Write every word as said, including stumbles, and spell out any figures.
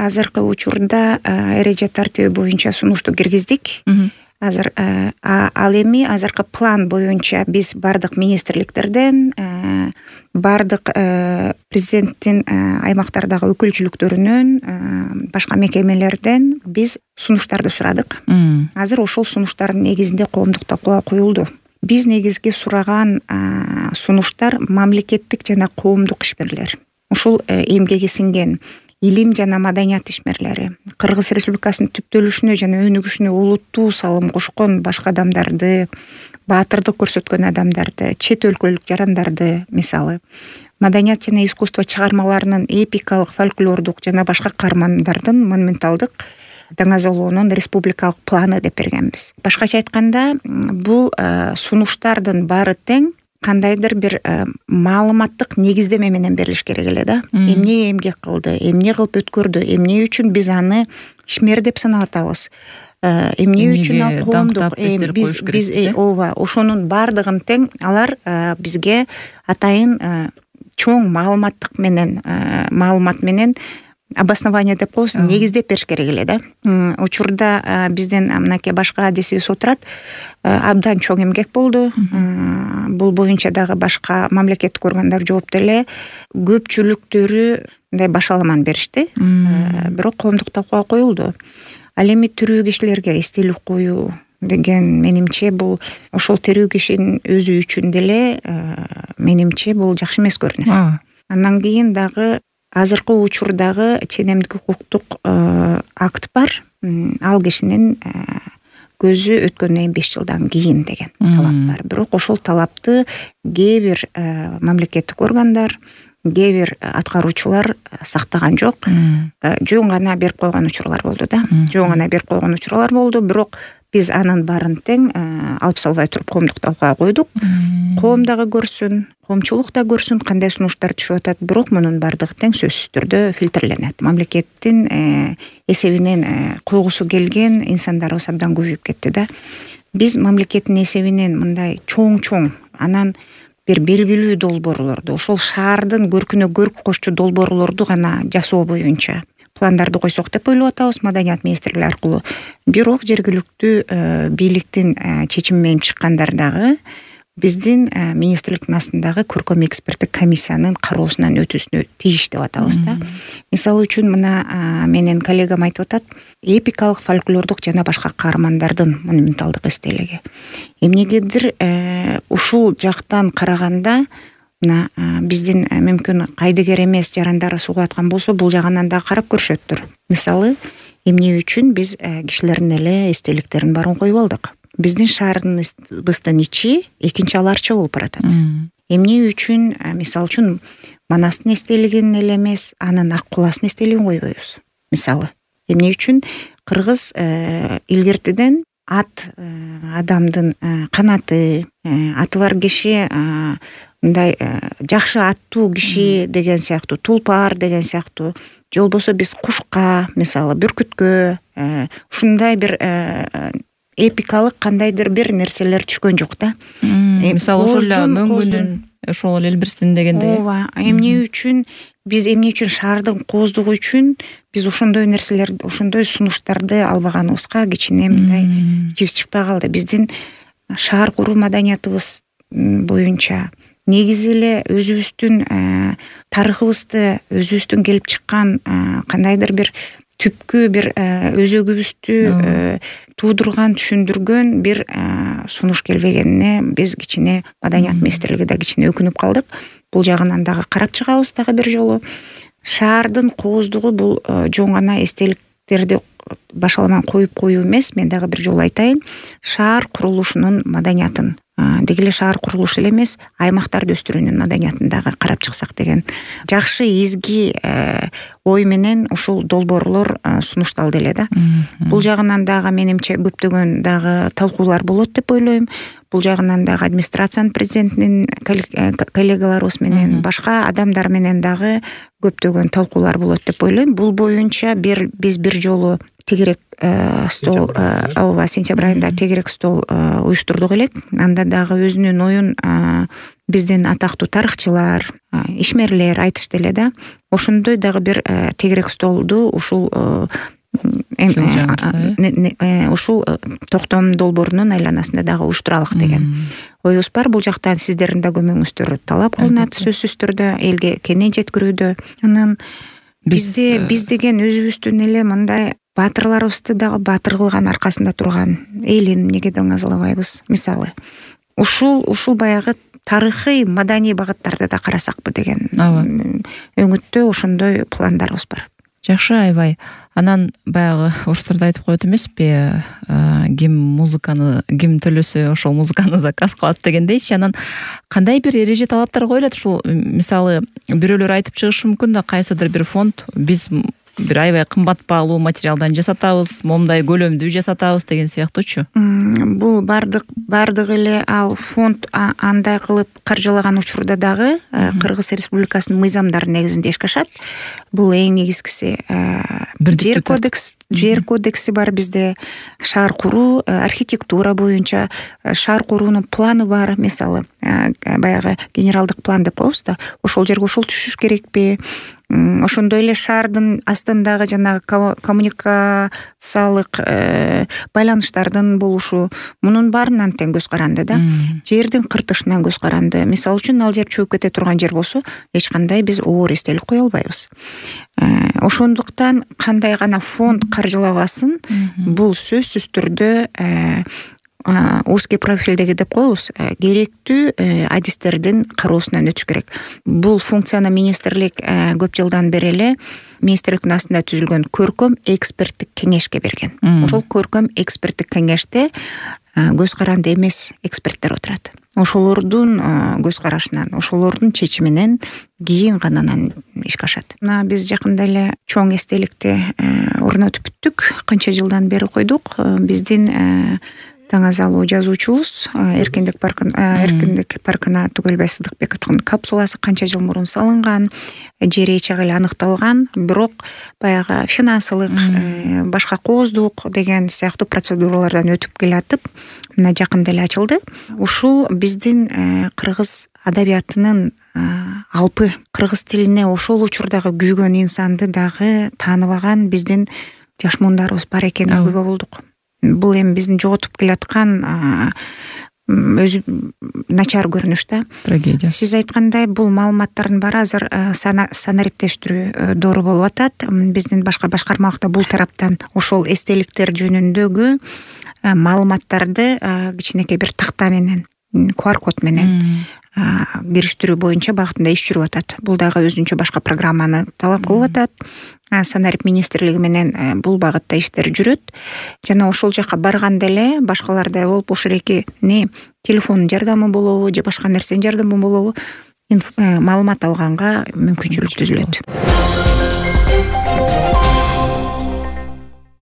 азыркы учурда эреже тартиби боюнча сунушту киргиздик. Азыр ал эми азыркы план боюнча биз бардык министрликтерден, бардык президенттин аймактардагы өкүлчүлүктөрүнөн, башка мекемелерден биз сунуштарды сурадык. Азыр ошол сунуштардын негизинде коомдук талкууга коюлду. Биз негизги сураган сунуштар мамлекеттик жана коомдук ишмерлер. Ушул эмгеги сиңген илим жана маданият ишмерлери, Кыргыз Республикасынын түптөлүшүнө жана өнүгүшүнө олуттуу салым кошкон башка адамдарды, баатырдык көрсөткөн адамдарды, чет өлкөлүк жарандарды, мисалы, маданият жана искусство чыгармаларынын эпикалык, фольклордук жана башка каармандардын монументалдык даңазалоонун республикалык планы деп бергенбиз. Башкача айтканда, бул сунуштардын баары тең кандайдыр бир маалыматтык негиздеме менен берилиш керек эле да. Эмне эмгек кылды, эмне кылып өткөрдү, эмне үчүн биз аны ишмер деп санап атабыз, эмне үчүн ал коомдук, биз биз ооба, ошонун баардыгын тең алар бизге атайын чоң маалыматтык менен маалымат менен обоснование деп коебуз, негиздеп бериш керек эле да. Учурда бизден мынакей башка адисибиз отурат, абдан чоң эмгек болду. Бул боюнча дагы башка мамлекеттик органдар жоопту эле, көпчүлүктөрү мындай башаламан беришти. Бирок коомдук талкууга коюлду. Ал эми тирүү кишилерге эстелик коюу деген менимче бул ошол тирүү кишинин өзү үчүн деле менимче бул жакшы эмес көрүнүш. Андан кийин дагы азыркы учурдагы ченемдик укуктук акт бар. Ал кишинин көзү өткөндөн кийин беш жылдан кийин деген талап бар. Бирок ошол талапты кээ бир мамлекеттик органдар, кээ бир аткаруучулар сактаган жок. Жөн гана берип койгон учурлар болду да. Жөн гана берип койгон учурлар болду, бирок биз анын баарын тең алып салбай туруп коомдук талкууга койдук. Коом дагы көрсүн, коомчулук да көрсүн кандай сунуштар түшүп атат, бирок мунун баардыгы тең сөзсүз түрдө фильтрленет. Мамлекеттин эсебинен койгусу келген инсандарыбыз абдан көбөйүп кетти да. Биз мамлекеттин эсебинен мындай чоң-чоң, анан бир белгилүү долбоорлорду, ошол шаардын көркүнө көрк кошчу долбоорлорду гана жасоо боюнча пландарды койсок деп ойлоп атабыз маданият министрлиги аркылуу. Бирок жергиликтүү бийликтин чечими менен чыккандар дагы биздин министрликтин астындагы көркөм эксперттик комиссиянын кароосунан өтүүсүнө тийиш деп атабыз да. Мисалы үчүн мына менин коллегам айтып атат, эпикалык, фольклордук жана башка каармандардын монументалдык эстелиги. Эмнегедир ушул жактан караганда мына биздин мүмкүн кайдыгер эмес жарандары сууга аткан болсо, бул жагынан дагы карап көрүшөттүр. Мисалы, эмне үчүн биз кишилердин эле эстеликтерин баарын коюп алдык. Биздин шаарыбыздын ичи экинчи аларча болуп баратат. Эмне үчүн, мисалы үчүн, Манастын эстелигин эле эмес, анын Ак куласын эстелигин койбойбуз. Мисалы, эмне үчүн Кыргыз илгертиден ат адамдын канаты, аты бар киши, мындай жакшы аттуу киши деген сыяктуу, тулпар деген сыяктуу, же болбосо биз кушка, мисалы, бүркүткө, ушундай бир эпикалык кандайдыр бир нерселер түшкөн жок да. Мисалы, ошол эле мөңгүнүн, ошол элбирстин дегендей. Ооба, эмне үчүн биз эмне үчүн шаардын кооздугу үчүн биз ошондой нерселер, ошондой сунуштарды албаганыбызга кичине мындай ичибиз чыкпай калды. Биздин шаар куруу маданиятыбыз боюнча негизи эле өзүбүздүн тарыхыбызды, өзүбүздүн келип чыккан кандайдыр бир түпкү бир өзөгүбүздү туудурган, түшүндүргөн бир сунуш келбегенине биз кичине маданият министрлиги да кичине өкүнүп калдык. Бул жагынан дагы карап чыгабыз дагы бир жолу. Шаардын кооздугу бул жөн гана эстеликтерди башаламан коюп коюу эмес, мен дагы бир жолу айтайын, шаар курулушунун маданиятын, деги эле шаар курулушу эле эмес, аймактарды өстүрүүнүн маданиятын дагы карап чыксак деген жакшы изги ой менен ушул долбоорлор сунушталды эле да. Бул жагынан дагы менимче көптөгөн дагы талкуулар болот деп ойлойм. Бул жагынан дагы администрациянын президентинин коллегаларыбыз менен, башка адамдар менен дагы көптөгөн талкуулар болот деп ойлойм. Бул боюнча бир биз бир жолу тегерек стол, ооба, сентябрь айында тегерек стол уюштурдук элек. Анда дагы өзүнүн оюн биздин атактуу тарыхчылар, ишмерлер айтышты эле да. Ошондой дагы бир тегерек столду ушул ушул токтом долбоорунун айланасында дагы уюштуралык деген оюбуз бар. Бул жактан сиздердин да көмөгүңүздөр талап кылынат сөзсүз түрдө, элге кене жеткирүүдө. Анан бизде биз деген өзүбүздүн эле мындай баатырларыбызды дагы баатыр кылган, аркасында турган элин эмнеге даңазалабайбыз? Мисалы, ушул ушул баягы тарыхый, маданий багыттарды да карасакпы деген өңүттө ошондой пландарыбыз бар. Жакшы, аябай. Анан баягы орустарда айтып коет эмеспи, ким музыканы, ким төлөсө ошол музыканы заказ кылат дегендейчи. Анан кандай бир эреже талаптар коюлат? Ушул мисалы бирөөлөр айтып чыгышы мүмкүн да, кайсыдыр бир фонд биз бир аябай кымбат баалуу материалдан жасатабыз, момундай көлөмдүү жасатабыз деген сыяктуучу. Бул бардык бардык эле ал фонд андай кылып каржылаган учурда дагы Кыргыз Республикасынын мыйзамдары негизинде ишке ашат. Бул эң негизгиси жер кодекс, жер кодекси бар бизде, шаар куруу, архитектура боюнча шаар куруунун планы бар. Мисалы, баягы генералдык план деп коебуз да, ошол жерге ошол түшүш керекпи? Ошондой эле шаардын астындагы жанагы коммуникациялык байланыштардын болушу, мунун баарынан тең көз каранды да. Жердин кыртышынан көз каранды. Мисалы үчүн ал жер чөгүп кете турган жер болсо, эч кандай биз оор эстелик кое албайбыз. Ошондуктан кандай гана фонд каржылабасын, бул сөзсүз түрдө узкий профилдеги деп коебуз, керектүү адистердин кароосунан өтүш керек. Бул функцияны министрлик көп жылдан бери эле министрликтин астында түзүлгөн көркөм эксперттик кеңешке берген. Ошол көркөм эксперттик кеңеште көз каранды эмес эксперттер отурат. Ошолордун көз карашынан, ошолордун чечиминен кийин гана ишке ашат. Мына биз жакында эле чоң эстеликти орнотуп бүттүк. Канча жылдан бери койдук. Биздин таңазалуу жазуучубуз Эркиндик паркын Эркиндик паркына Түгөлбай Сыдыкбековдун капсуласы канча жыл мурун салынган, жери эч эле аныкталган, бирок баягы финансылык, башка кооздук деген сыяктуу процедуралардан өтүп келатып, мына жакында эле ачылды. Ушул биздин кыргыз адабиятынын алпы, кыргыз тилине ошол учурдагы күйгөн инсанды дагы тааныбаган биздин жаш муундарыбыз бар экенине күбө болдук. Бул эми биздин жоготуп келаткан өзү начар көрүнүш да. Трагедия. Сиз айткандай, бул маалыматтардын баары азыр санариптештирүү дору болуп атат. Биздин башка башкармалыкта бул тараптан ошол эстеликтер жөнүндөгү маалыматтарды кичинекей бир такта менен, ку ар код менен кириштирүү боюнча багытында иш жүрүп атат. Бул дагы өзүнчө башка программаны талап кылып атат. Санарип министрлиги менен бул багытта иштер жүрөт. Жана ошол жака барганда эле башкалардай болуп ошол эки не телефондун жардамы болобу же башка нерсенин жардамы болобу маалымат алганга мүмкүнчүлүк түзүлөт.